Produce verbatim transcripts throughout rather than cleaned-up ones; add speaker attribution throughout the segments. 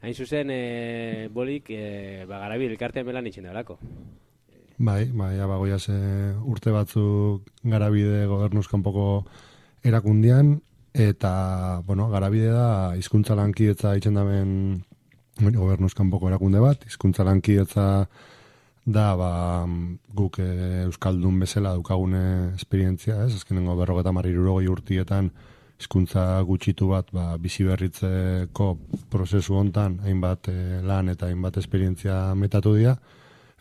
Speaker 1: Hain zuzen, e, bolik, e, ba, Garabi elkartean belan itxen da belako.
Speaker 2: Bai, bai, abagoiaz e, urte batzuk Garabide gobernuz kanpoko erakundian, eta, bueno, Garabide da hizkuntza lankidetza itxen daben gobernuz kanpoko erakunde bat, hizkuntza lankidetza da, ba, guk e, Euskaldun bezala daukagune esperientzia, ez? Azkenengo berrogeta marrirurogei urtietan hizkuntza gutxitu bat, ba, bizi berritzeko prozesu hontan hainbat e, lan eta hainbat esperientzia metatu dira,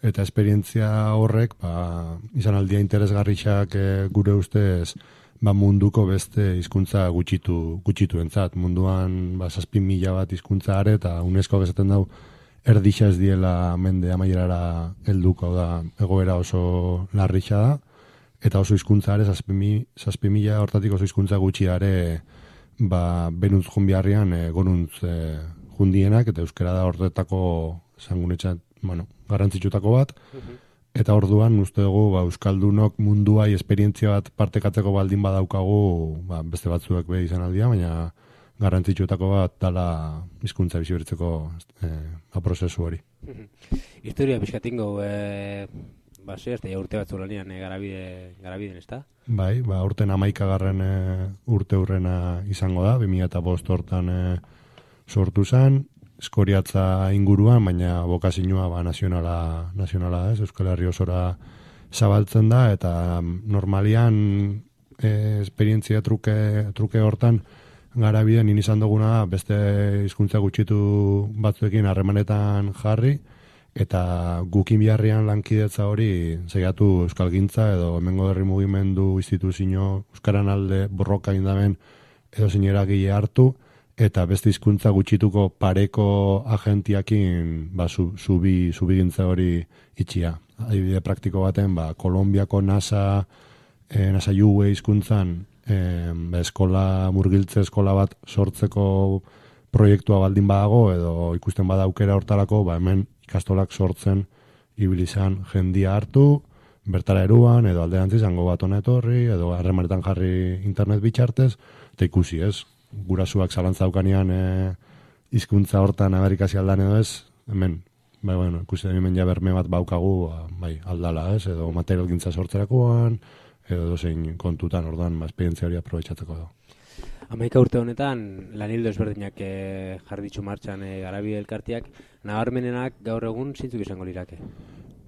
Speaker 2: eta esperientzia horrek, ba, izan aldia interesgarrixak e, gure ustez, ba, munduko beste hizkuntza gutxitu, gutxitu entzat. Munduan, ba, zazpi mila bat hizkuntza are, eta UNESCO esaten dau, erdixa ez diela mende amaierara helduko da, egoera oso larrixa da, eta oso hizkuntza are, zazpi mila hortatik oso hizkuntza gutxi are, ba, benuntz junbiarrian e, goruntz e, jundienak, eta euskara da horretako zangunetxat, bueno, garrantzitsutako bat, eta orduan uste dugu ba, Euskaldunok munduai esperientzia bat partekatzeko baldin badaukagu, ba, beste batzuek be izan aldia, baina garrantzitsutako bat dala hizkuntza bizi berritzeko e, prozesu hori.
Speaker 1: Historia pixkatingo, e, ba, ze, ez da, urte batzu lanian e, garabide, garabiden, ez da?
Speaker 2: Bai, ba, urten amaikagarren e, urte hurrena izango da, bi mila bost hortan e, sortu zen, Eskoriatza inguruan, baina bokazioa ba, nazionala, nazionala da, ez, Euskal Herri osora zabaltzen da, eta normalian e, esperientzia truke, truke hortan Garabiden izan duguna beste hizkuntza gutxitu batzuekin harremanetan jarri, eta gukin biharrian lankidetza hori zeiatu euskalgintza edo hemengo herri mugimendu instituzio euskaran alde borroka indaben edo zineragile hartu, eta beste hizkuntza gutxituko pareko agentiakin ba, zu, zubi, zubigintza hori itxia. Adibide praktiko baten, ba, Kolombiako NASA, e, NASA U E hizkuntzan e, ba, eskola, murgiltze eskola bat sortzeko proiektua baldin badago, edo ikusten bada aukera hortarako, ba, hemen ikastolak sortzen ibilizan jendia hartu, bertara eruan, edo alderantziz, zango bat hona etorri, edo harremanetan jarri internet bitxartez, eta ikusi ez. Gurasuak zalantza daukanean e, hizkuntza hortan Amerikasi aldan edo ez, hemen, bai, bueno, ikusi da hemen ja berme bat baukagu, ba, bai, aldala ez, edo materialgintza sortzerakoan, edo dozein kontutan, orduan, ba, esperientzia hori aprobetxatzeko da.
Speaker 1: Hamaika urte honetan, lanildo ezberdinak e, jarditzu martxan e, Garabide elkarteak, nabarmenenak gaur egun zintzuk izango lirake?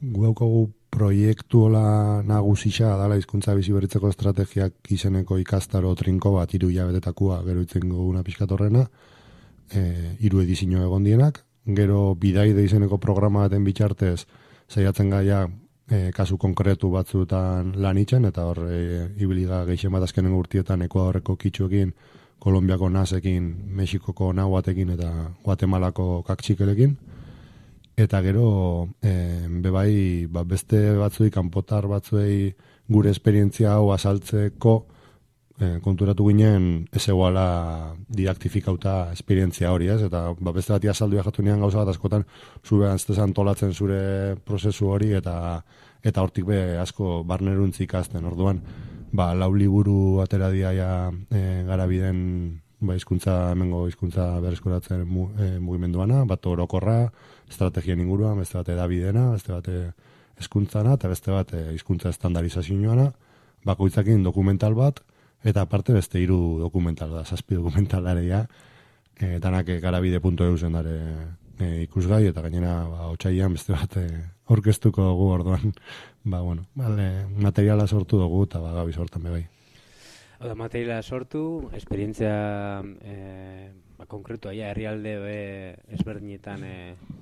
Speaker 2: Gu daukagu proiektu hola nagusisa dala hizkuntza bizi berritzeko estrategiak izeneko ikastaro trinko bat hiru hilabetetakua gero itzen goguna pixkatorrena, e, hiru edizio egon dienak, gero bidaide izeneko programa baten bitxartez saiatzen gaia e, kasu konkretu batzuetan lan itzen, eta hor e, ibiliga gehien bat azkenengo urtietan Ekuadorreko kitxuekin, Kolombiako nasekin, Mexikoko nahuatekin eta Guatemalako kaktxikelekin. Eta gero, e, bebai, ba, beste batzuei, kanpotar batzuei gure esperientzia hau azaltzeko e, konturatu ginen ez eguala didaktifikauta esperientzia hori, ez? Eta ba, beste bati azaldu jatu nian gauza bat askotan zure antztezan antolatzen zure prozesu hori, eta eta hortik be asko barneruntzi ikasten. Orduan, ba, lau liburu atera diaia e, Garabiden ba, hizkuntza, hemengo hizkuntza berreskuratzen mu, e, mugimenduana, bat orokorra, estrategien inguruan, beste bat edabidena, beste bat hezkuntzana, eta beste bat hizkuntza estandarizazioana, bakoitzakin dokumental bat, eta aparte beste hiru dokumental da, zazpi dokumentalaria, e, danak garabide puntu e u zen dare e, ikusgai, eta gainera ba, otsailean beste bat e, orkestuko dugu orduan, ba, bueno, vale, materiala sortu dugu, eta ba, gabiz hortan bebai.
Speaker 1: Oda, materiala sortu, esperientzia e, ba, konkretua, ja, herrialde e, ezberdinetan e,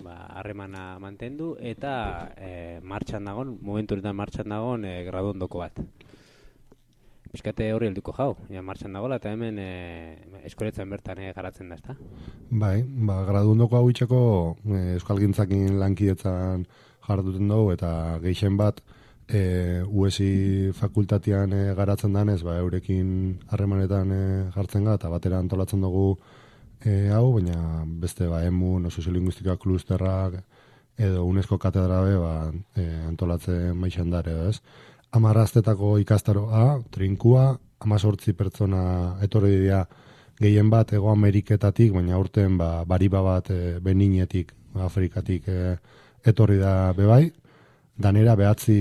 Speaker 1: ba, harremana mantendu, eta e, martxan dagon, momentu honetan martxan dagon e, gradu ondoko bat. Piskate horri helduko jau, ja, martxan dagoela, eta hemen e, eskoletzen bertan e, garatzen da, ezta?
Speaker 2: Bai, ba, gradu ondoko hau itxeko e, euskalgintzakin lankidetzan jarduten dugu, eta gehien bat E, U S I fakultatian e, garatzen danez, ba, eurekin harremanetan e, jartzen ga, eta batera antolatzen dugu e, hau, baina beste ba, emun, no, soziolinguistika klusterrak, edo UNESCO katedrabe ba, e, antolatzen maixan dare, ez? Amarraztetako ikastaroa, trinkua, amazortzi pertsona etorri dira gehien bat Ego Ameriketatik, baina urten ba, bariba bat e, Beninetik, Afrikatik e, etorri da bebai, danera behatzi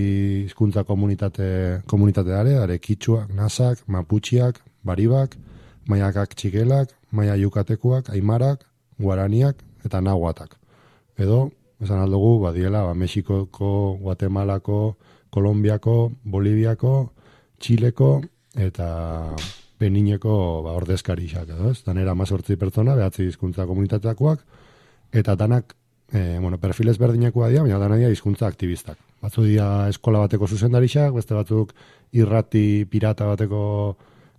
Speaker 2: hizkuntza komunitate, komunitate dare, dare kitxuak, nasak, maputxiak, baribak, maiakak txikelak, maia yukatekuak, aimarak, guaraniak eta nahuatak. Edo, esan aldugu, badiela, ba, Mexikoko, Guatemalako, Kolombiako, Boliviako, Txileko eta Benineko ba, ordezkarixak, edo ez? Danera mazortzi pertsona, behatzi hizkuntza komunitateakoak, eta danak, e, bueno, perfil ezberdinekoa dira, baina dana dira hizkuntza aktivistak. Batzu dira eskola bateko zuzendarixak, beste batzuk irrati pirata bateko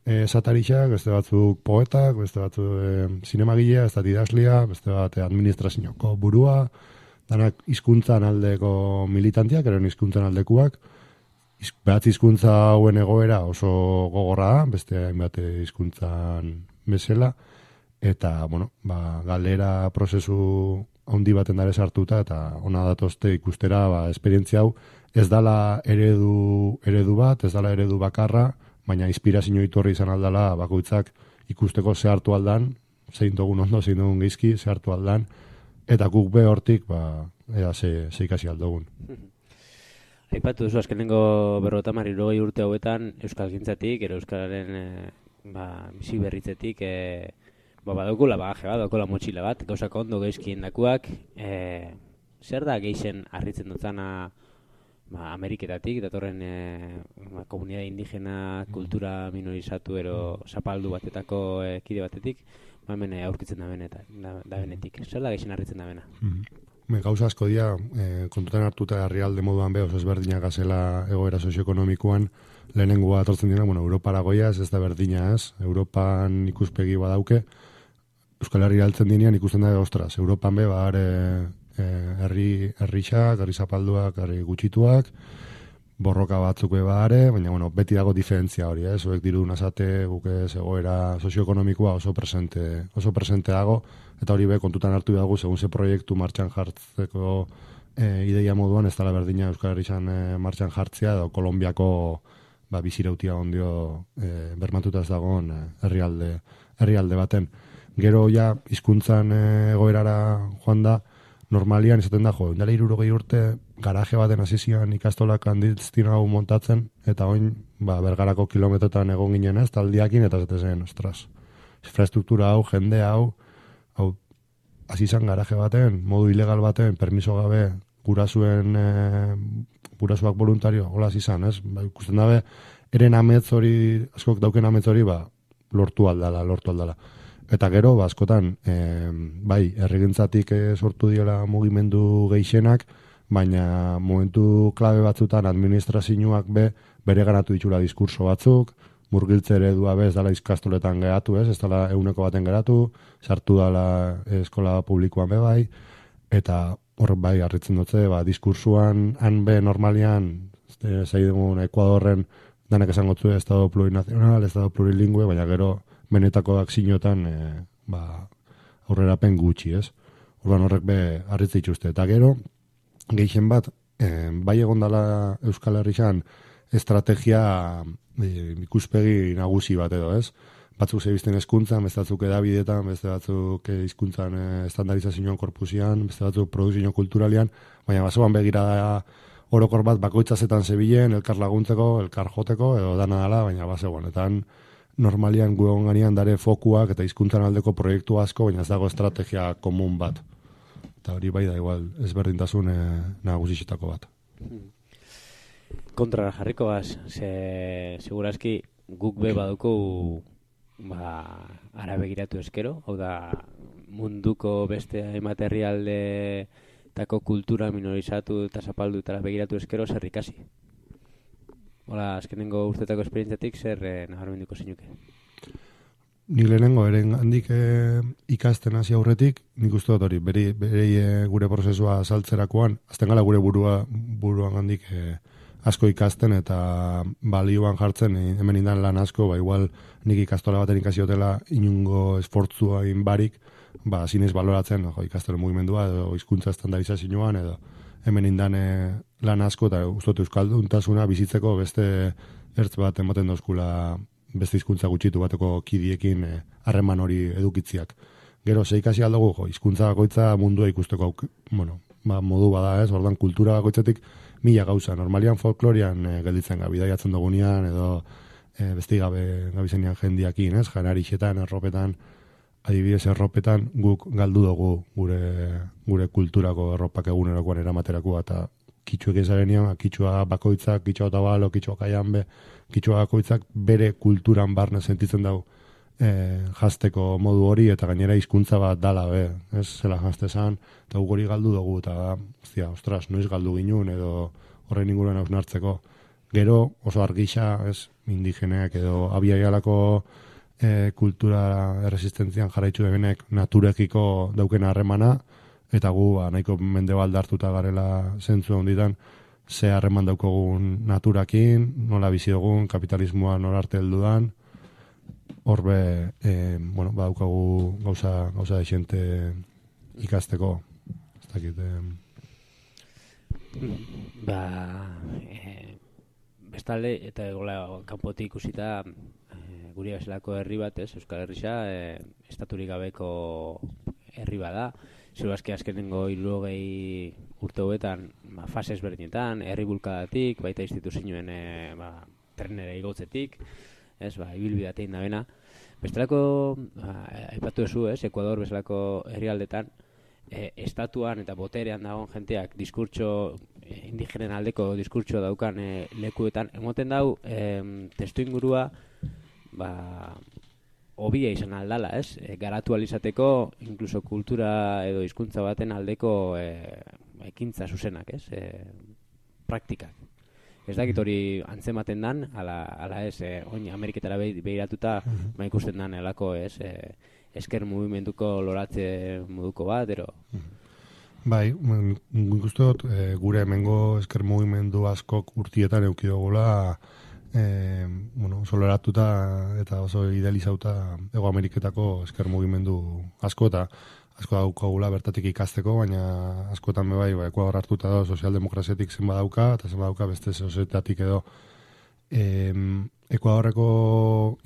Speaker 2: e, satarixak, beste batzuk poetak, beste batzuk e, zinemagilea, ez da didaslia, beste bat administrazioko burua, danak hizkuntzan aldeko militantiak, eren hizkuntzan aldekuak, behatz hizkuntza hauen egoera oso gogorra da, beste hainbat hizkuntzan bezala, eta, bueno, ba, galera prozesu handi baten dare sartuta, eta ona datozte ikustera, ba, esperientzia hau, ez dala eredu, eredu bat, ez dala eredu bakarra, baina inspirazio iturri izan aldala, bakoitzak ikusteko zehartu aldan, zein dugun ondo, zein dugun geizki, zehartu aldan, eta guk be hortik, ba, ea ze, ze ikasi aldogun.
Speaker 1: Aipatu duzu, azkenengo berrota marirogei urte hauetan Euskalgintzatik, ero Euskalaren e, ba, bizi berritzetik, e, ba, badaukula bagaje bat, badaukula motxila bat, gauzak ondo geizkien dakuak, e, zer da geixen harritzen dutzana ba, Ameriketatik, datorren e, ba, komunidade indigena, kultura minorizatu, ero zapaldu batetako e, kide batetik, ba, hemen aurkitzen da, beneta, da, da benetik. Zer da geixen harritzen da bena?
Speaker 2: Mm-hmm. Gauza asko dira, e, kontutan hartuta herrialde moduan behoz ezberdinak gazela egoera sozioekonomikoan, lehenengoa atortzen dira, bueno, Europara goiaz, ez da berdina ez, Europan ikuspegi badauke, Euskal Herri altzen dinean ikusten da, ostras, Europan be, ba, herri herrixak, herri zapalduak, herri gutxituak, borroka batzuk eba are, baina bueno, beti dago diferentzia hori, eh? Zuek diru nazate, guke egoera sozioekonomikoa oso presente, oso presente dago, eta hori be kontutan hartu dago, segun ze proiektu martxan jartzeko e, ideia moduan, ez dela berdina Euskal Herrian e, martxan jartzea, edo Kolombiako ba, bizirautia ondio e, bermatuta ez dagoen e, herrialde, herrialde baten. Gero ja, hizkuntzan e, egoerara joan da, normalian izaten da, jo, indela hirurogei urte, garaje baten hasizian ikastolak handiztin hau montatzen, eta oin, ba, bergarako kilometrotan egon ginen ez, taldiakin, eta zete zen, ostras, infrastruktura hau, jende hau, hau, hasizan garaje baten, modu ilegal baten, permiso gabe, gurasuen, e, gurasuak voluntario, hola hasizan, ez? Ba, ikusten dabe, eren ametz hori, askok dauken ametz hori, ba, lortu aldala, lortu aldala. Eta gero, ba, askotan, e, bai, herrigintzatik e, sortu diola mugimendu geixenak, baina momentu klabe batzutan administrazioak be, bere ganatu ditxura diskurso batzuk, murgiltze eredua bez dala izkastoletan geratu, ez, ez dala euneko baten geratu, sartu dala eskola publikoan be bai, eta hor bai, harritzen dutze, ba, diskursuan han be normalian, zei dugun Ekuadorren, danak esango zu, estado plurinazional, estado plurilingüe, baina gero benetako akzinotan e, ba, aurrerapen gutxi, ez? Orduan horrek be harritze dituzte. Eta gero, gehien bat, e, bai egondala Euskal Herrian estrategia e, ikuspegi nagusi bat edo, ez? Batzuk zebizten hezkuntzan, beste batzuk edabidetan, beste batzuk hizkuntzan e, estandarizazioan korpusian, beste batzuk produzio kulturalian, baina basoan begira da orokor bat bakoitzazetan zebilen, elkar laguntzeko, elkar joteko, edo dana dala, baina basegoan. Eta normalian guegon ganean dare fokuak eta hizkuntzan aldeko proiektu asko, baina ez dago estrategia komun bat. Eta hori bai da igual ezberdintasun e, nagusitako bat.
Speaker 1: Kontrara jarriko baz, ze, segurazki guk be baduko ba, ara begiratu eskero, hau da munduko beste hainbat herrialde tako kultura minorizatu eta zapaldu eta begiratu eskero zer ikasi. Hola, azkenengo urtetako esperientziatik zer eh, nabarmenduko zinuke?
Speaker 2: Nik lehenengo, eren handik e, ikasten hasi aurretik, nik uste dut hori, beri, beri e, gure prozesua saltzerakoan, azten gala gure burua, buruan handik e, asko ikasten eta balioan jartzen, e, hemen indan lan asko, ba igual nik ikastola baten ikasiotela inungo esfortzua inbarik, ba zinez baloratzen, jo, ikastelo mugimendua edo hizkuntza estandarizazioan edo hemen indan e, lan asko eta uste dut euskalduntasuna bizitzeko beste ertz bat ematen dozkula beste hizkuntza gutxitu bateko kidiekin harreman hori edukitziak. Gero, ze ikasi aldugu, jo, hizkuntza bakoitza mundua ikusteko, bueno, ba, modu bada ez, ordan kultura bakoitzatik mila gauza. Normalian folklorian e, gelditzen gabi, bidaiatzen dugunean, edo e, besti gabe gabizenean jendiakin, ez, janarixetan, erropetan, adibidez erropetan, guk galdu dugu gure, gure kulturako erropak egunerokoan eramaterakoa, eta kitxuek ezarenean, kitxua bakoitzak, kitxua otabalo, kitxua kaianbe, kitxua bakoitzak bere kulturan barne sentitzen dugu e, jazteko modu hori, eta gainera hizkuntza bat dala, be, ez, zela jazte zan, eta guk hori galdu dugu, eta, zia, ostras, noiz galdu ginun, edo horrein inguruan hausnartzeko. Gero, oso argisa, ez, indigeneak, edo abiaialako e, kultura erresistentzian jarraitzu debenek naturekiko dauken harremana, eta gu, ba, nahiko mendebal hartuta garela zentzu honditan, ze harreman daukogun naturakin, nola bizi dugun, kapitalismoa nola arte heldudan, horbe, e, bueno, ba, daukagu gauza, gauza de xente ikasteko. Ez dakit, e...
Speaker 1: Ba, e, bestalde, eta gola, kanpotik ikusita, e, guri bezalako herri bat, ez, Euskal Herrisa, e, estaturik gabeko herri bada, zero azke azkenengo hirurogei urte hauetan, ba, fase ezberdinetan, herri bulkadatik, baita instituzioen e, ba, trenera igotzetik, ez, ba, ibilbidatein da bena. Bestelako, ba, aipatu duzu, ez, Ekuador bezalako herrialdetan, e, estatuan eta boterean dagoen jenteak diskurtso, e, indigenen aldeko diskurtso daukan e, lekuetan, emoten dau, e, testu ingurua, ba, hobia izan aldala, ez? E, garatu alizateko, inkluso kultura edo hizkuntza baten aldeko e, ekintza zuzenak, ez? E, praktikak. Ez dakit hori antzematen dan, ala, ala ez, e, oin Ameriketara behiratuta, ma ikusten dan elako, ez? E, esker mugimenduko loratze moduko bat, ero...
Speaker 2: Bai, nik uste dut, e, gure hemengo esker mugimendu askok urtietan eukidogula, E, bueno, oso loratuta eta oso idealizauta Ego Ameriketako esker mugimendu asko eta asko daukagula bertatik ikasteko, baina askotan bai, ba, Ekuador hartuta da sozialdemokraziatik zenba dauka eta zenba dauka beste sozietatik edo e, Ekuadorreko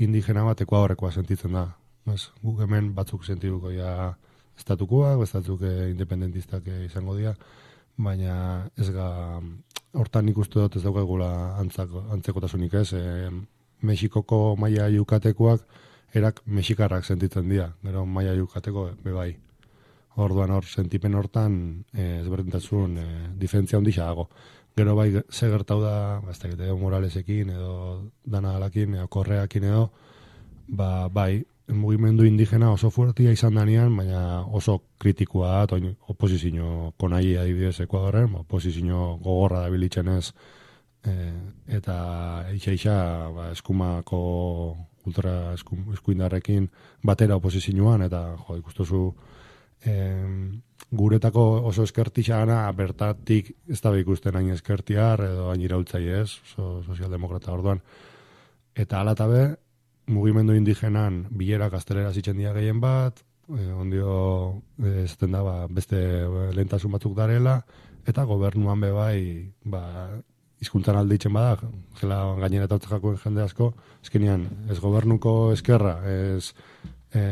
Speaker 2: indigena bat Ekuadorrekoa sentitzen da. Ez, guk hemen batzuk sentituko ja estatukoak, batzuk independentistak izango dira, baina ez ga hortan nik uste dut ez daukagula antzekotasunik ez. E, Mexikoko maia yukatekoak erak mexikarrak sentitzen dira, gero maia yukateko bebai. Orduan hor, sentipen hortan e, ezberdintasun e, diferentzia ondisa dago. Gero bai, ze gertau da, ba, ez dakit, edo Moralesekin, edo Dana Alakin, edo Korreakin edo, ba, bai, mugimendu indigena oso fuertia izan danean, baina oso kritikoa da, oin oposizio konai adibidez Ekuadorren, oposizio gogorra da bilitzen ez, e, eta eixa-eixa ba, eskumako ultra eskum, eskuindarrekin batera oposizioan, eta jo, ikustuzu e, guretako oso eskertisa gana, bertatik ez da ikusten hain eskertiar, edo hain iraultzai ez, oso sozialdemokrata orduan, eta alatabe, mugimendu indigenan bilera gaztelera zitzen dira gehien bat, e, ondio e, zaten da ba, beste lehentasun batzuk darela, eta gobernuan be bai, ba, hizkuntzan alditzen bada, zela gainera eta jakoen jende asko, ezkenean ez gobernuko eskerra, ez e,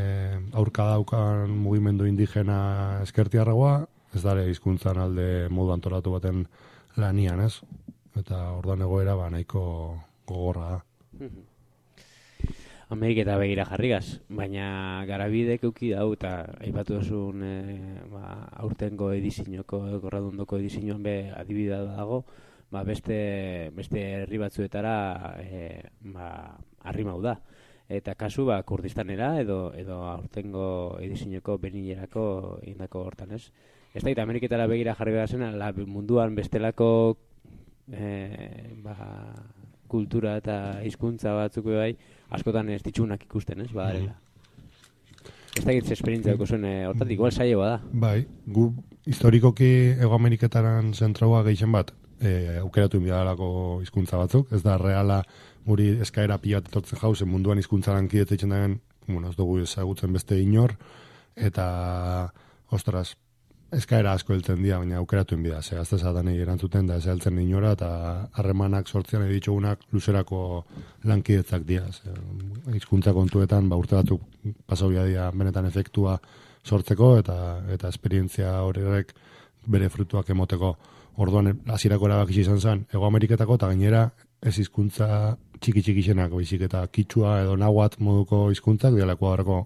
Speaker 2: aurka daukan mugimendu indigena eskertiarragoa, ez dare hizkuntzan alde modu antolatu baten lanian, ez? Eta orduan egoera ba, nahiko gogorra da.
Speaker 1: Ameriketa begira jarrigaz, baina garabidek euki dau eta aipatu duzun e, ba, aurtengo edizinoko, gorradundoko edizinoan be adibidea dago, ba, beste, beste herri batzuetara e, ba, arrimau da. Eta kasu ba, Kurdistanera edo, edo aurtengo edizinoko benilerako indako hortan ez. Ez da, eta Ameriketara begira jarri behar zen, munduan bestelako e, ba, kultura eta hizkuntza batzuk bai, askotan ez ditxunak ikusten, ez, badarela. Ez da gitz esperientzia duko zuen, hortatik, igual saio bada.
Speaker 2: Bai, gu historikoki Ego Ameriketaran zentraua gehien bat, e, aukeratu inbiadalako hizkuntza batzuk, ez da reala guri eskaera pila bat etortzen jauzen munduan hizkuntzaran kidetzen daen, bueno, ez dugu ezagutzen beste inor, eta, ostras, eskaera asko heltzen dira, baina aukeratu inbida, ze azte zatanei erantzuten da ez heltzen inora, eta harremanak sortzean editxugunak luzerako lankidetzak dira. Hizkuntza kontuetan, ba, urte batzuk pasauia dira benetan efektua sortzeko, eta eta esperientzia horrek bere frutuak emoteko. Orduan, hasierako erabaki izan zen, Hego Ameriketako, eta gainera ez hizkuntza txiki-txikixenak, baizik eta kitxua edo nahuat moduko hizkuntzak, dialako horreko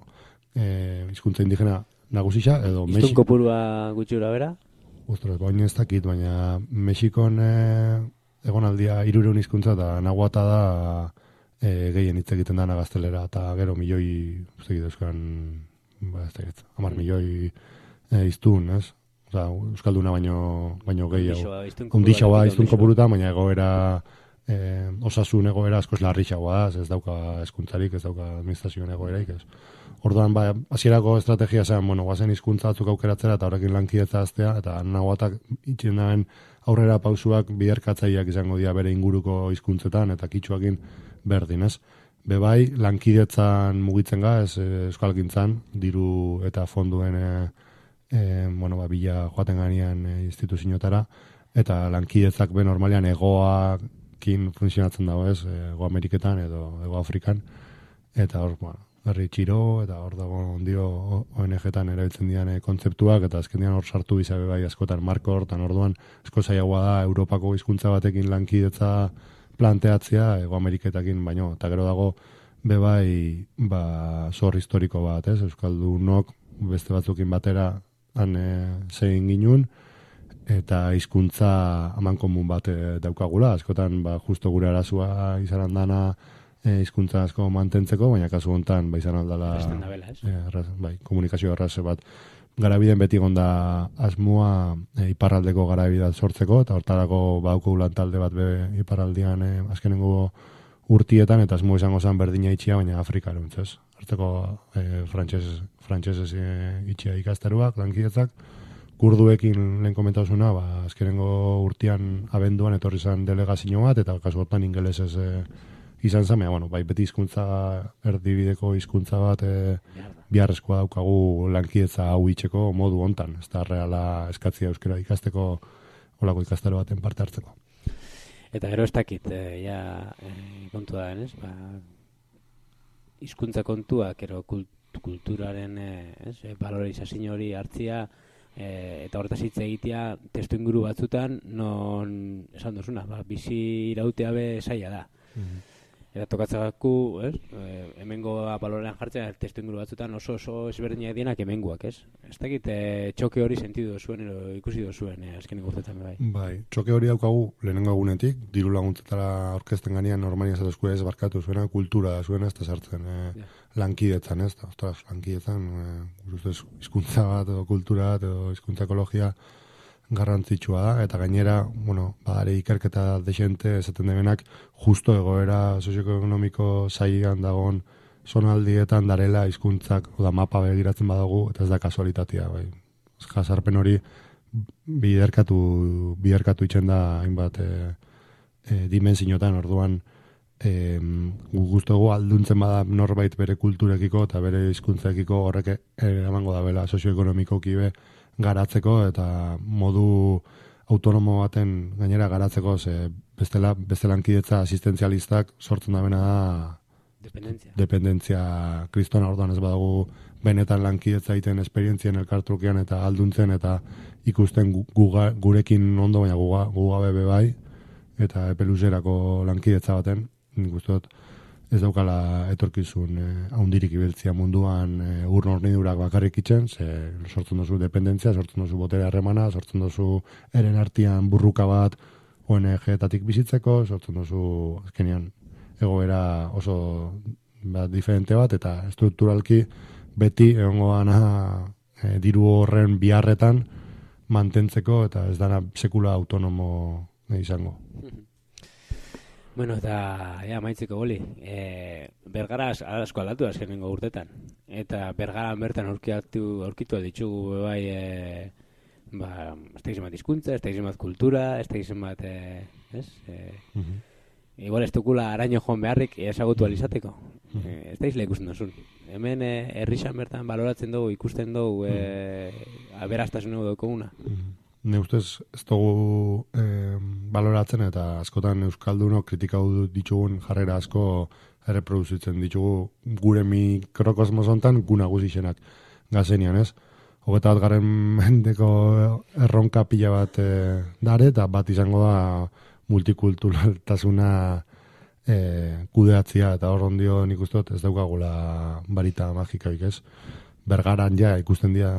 Speaker 2: eh, hizkuntza indigena nagusisa, edo Mexiko.
Speaker 1: Iztun kopurua gutxura bera?
Speaker 2: Ostras, baina ez dakit, baina Mexikon eh, egonaldia hirureun hizkuntza eta nahuata da eh, gehien hitz egiten dana gaztelera, eta gero milioi, ez dakit euskan, ba, ez dakit, hamar milioi eh, iztun, ez? Osa, euskalduna baino, baino gehiago. Undixagoa iztun kopuruta, baina egoera, eh, osasun egoera askoz larrixagoa da, ez dauka hezkuntzarik, ez dauka administrazioen egoeraik, ez. Orduan, ba, hasierako estrategia zen, bueno, guazen hizkuntza batzuk aukeratzera eta horrekin lankidetza aztea, eta nahuatak itxen daen aurrera pausuak biderkatzaileak izango dira bere inguruko hizkuntzetan eta kitxuakin berdin, ez. Bebai, lankidetzan mugitzen ga, ez euskalgintzan, diru eta fonduen e, e, bueno, ba, bila joaten ganean e, instituziotara, eta lankidetzak be normalean egoakin funtzionatzen dago, ez, Ego Ameriketan edo Ego Afrikan, eta hor, bueno, herri txiro, eta hor dago ondio O N G-tan erabiltzen dian e, kontzeptuak, eta azken dian hor sartu bizabe bai askotan marko hortan, orduan esko zailagoa da Europako hizkuntza batekin lankidetza planteatzea Ego Ameriketakin baino, eta gero dago bebai ba, zor historiko bat, ez? Euskaldunok beste batzukin batera han e, zein ginun, eta hizkuntza amankomun bat e, daukagula, askotan ba, justo gure arazua izaran dana hizkuntza e, asko mantentzeko, baina kasu hontan ba izan aldala e, arraz, bai, komunikazio arraze bat garabiden beti gonda asmoa e, iparraldeko garabidea sortzeko, eta hortarako bauko lantalde bat be iparraldian e, azkenengo urtietan, eta asmo izango zen berdina itxia, baina Afrikara untzez. Hartzeko e, frantxez, frantxezez e, itxia ikasteruak, lankidetzak, kurduekin lehen komentauzuna, ba, azkenengo urtean abenduan etorri zen delegazio bat, eta kasu hortan ingelesez e, izan zen, bueno, bai beti hizkuntza erdibideko hizkuntza bat e, biharrezkoa daukagu lankidetza hau itxeko modu hontan, ez da reala eskatzia euskera ikasteko olako ikastaro baten parte hartzeko.
Speaker 1: Eta gero ez dakit, e, ja, e, kontu da, ez? Ba, hizkuntza kontuak, gero kult, kulturaren e, ez, e, valorizazio hori hartzia, e, eta horretaz hitz egitea testu inguru batzutan, non esan duzuna, ba, bizi irautea be zaila da. Mm-hmm. Eta tokatzagaku, ez? E, hemengo balorean jartzea testu inguru batzutan oso oso ezberdinak dienak hemengoak, ez? Ez dakit e, txoke hori sentidu zuen, edo ikusi duzuen, e, azkenik urtetan bai.
Speaker 2: Bai, txoke hori daukagu lehenengo egunetik, diru laguntzetara orkesten ganean normalian zatuzko ez barkatu zuena, kultura da zuena, ez da sartzen e, ja. Lankidetzan, ez? Da, ostras, lankidetzan, e, hizkuntza bat, edo kultura bat, edo hizkuntza ekologia garrantzitsua da, eta gainera, bueno, badare ikerketa desente esaten demenak, justo egoera sozioekonomiko zailan dagoen zonaldietan darela hizkuntzak, oda mapa begiratzen badago, eta ez da kasualitatea, bai. Jasarpen hori biderkatu, biderkatu itxen da hainbat e, e, dimensinotan, orduan e, guztugu alduntzen bada norbait bere kulturekiko eta bere hizkuntzekiko horrek eramango da bela sozioekonomikoki be garatzeko, eta modu autonomo baten gainera garatzeko, ze bestela, beste lankidetza asistenzialistak sortzen da bena da
Speaker 1: dependentzia.
Speaker 2: Dependentzia kristona, orduan ez badago benetan lankidetza egiten esperientzien elkartrukean eta alduntzen eta ikusten guga, gurekin ondo, baina guga, guga bebe bai, eta epeluzerako lankidetza baten, nik uste dut ez daukala etorkizun eh, haundirik ibiltzia munduan eh, ur hornidurak bakarrik itzen, ze sortzen duzu dependentzia, sortzen duzu botere harremana, sortzen duzu eren artean burruka bat O N G-tatik bizitzeko, sortzen duzu azkenean egoera oso bat diferente bat, eta strukturalki beti egongo dana eh, diru horren biharretan mantentzeko, eta ez dana sekula autonomo eh, izango.
Speaker 1: Bueno, eta, ja, maitzeko goli, e, Bergara asko aldatu azkenengo urtetan. Eta Bergaran bertan aurkitu, aurkitu ditugu bai, e, ba, ez da izan bat hizkuntza, ez da izan bat kultura, ez da izan bat, e, ez? E, uh-huh. Igual ez dukula araño joan beharrik ezagutu alizateko. E, ez da izle ikusten duzun. Hemen e, herrixan bertan baloratzen dugu, ikusten dugu, e, aberastasun dugu daukaguna.
Speaker 2: Ne ustez ez dugu eh, baloratzen eta askotan euskaldunok kritikau ditugun jarrera asko erreproduzitzen ditugu gure mikrokosmos hontan gu nagusixenak gazenian, ez? Hogeta bat garen mendeko erronka pila bat e, dare, eta bat izango da multikulturaltasuna e, kudeatzia, eta hor ondio nik uste dut ez daukagula barita magikaik, ez? Bergaran ja ikusten dira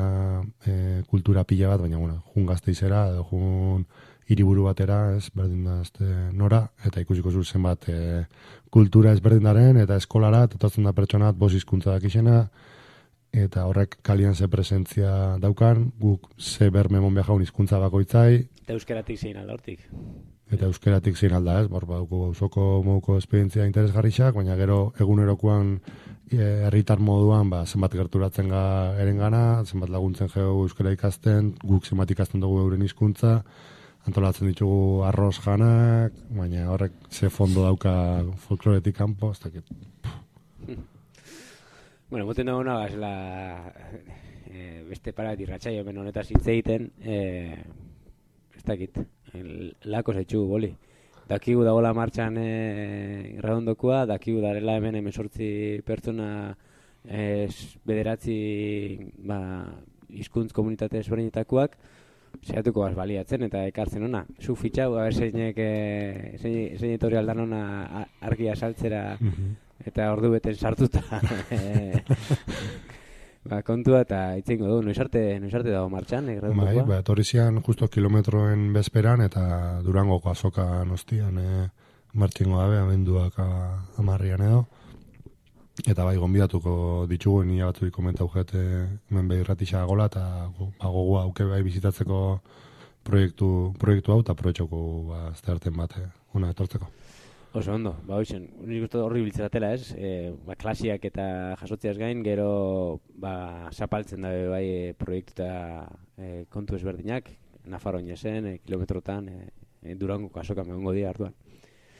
Speaker 2: e, kultura pila bat, baina bueno, jun Gasteizera edo jun hiriburu batera, ez, berdin da este nora, eta ikusiko zu zenbat e, kultura ezberdinaren, eta eskolara, totatzen da pertsonat bos hizkuntza dakixena, eta horrek kalian ze presentzia daukan, guk ze berme mon behaun hizkuntza bakoitzai.
Speaker 1: Eta euskeratik zein alda hortik.
Speaker 2: Eta euskeratik zein alda, ez, bor, baduko gauzoko moduko esperientzia interesgarrixak, baina gero egunerokoan herritar moduan, ba, zenbat gerturatzen ga erengana, zenbat laguntzen geu euskara ikasten, guk zenbat ikasten dugu euren hizkuntza, antolatzen ditugu arroz janak, baina horrek ze fondo dauka folkloretik kanpo, ez dakit.
Speaker 1: Bueno, moten dago una gazela e, beste parat irratxaio hemen honetaz hitz egiten, e, ez dakit, lako zaitxu boli. Dakigu dagoela martxan e, irradondokua, dakigu darela hemen emesortzi pertsona e, bederatzi ba, hizkuntz komunitate ezberdinetakoak, saiatuko baz baliatzen eta ekartzen ona. Zu fitxau, haber zeinek, e, zein, zein etorri aldan ona argia saltzera, eta ordu beten sartuta ba, kontua eta itzengo du, noiz arte, noiz arte dago martxan,
Speaker 2: bai, ba, etorri zian justo kilometroen bezperan eta Durangoko azoka nostian e, martxingo dabe, amenduak amarrian edo. Eta bai, gonbidatuko ditugu, nila batzurik komentau jete hemen behirratisa gola, eta ba, gogoa auke bai bizitatzeko proiektu, proiektu hau, eta proiektuko ba, azterten bat, eh, una etortzeko.
Speaker 1: Oso ondo, ba hoizen, nik uste horri biltzeratela ez, e, ba, klasiak eta jasotziaz gain, gero ba, zapaltzen dabe bai e, proiektu eta e, kontu ezberdinak, Nafarroa zen, e, kilometrotan, e, e, Durangoko azokan egongo dira hartuan.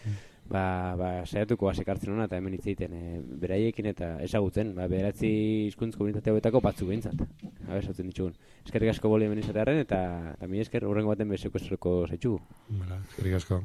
Speaker 1: Mm. Ba, ba, saiatuko asekartzen hona eta hemen hitz egiten e, beraiekin eta ezagutzen, ba, bederatzi hizkuntz komunitate hauetako batzu behintzat. Habe, sautzen ditugun. Eskerrik asko boli hemen izatearen eta, eta mi esker, horrengo baten bezeko estroko zaitxugu.
Speaker 2: Eskerrik asko.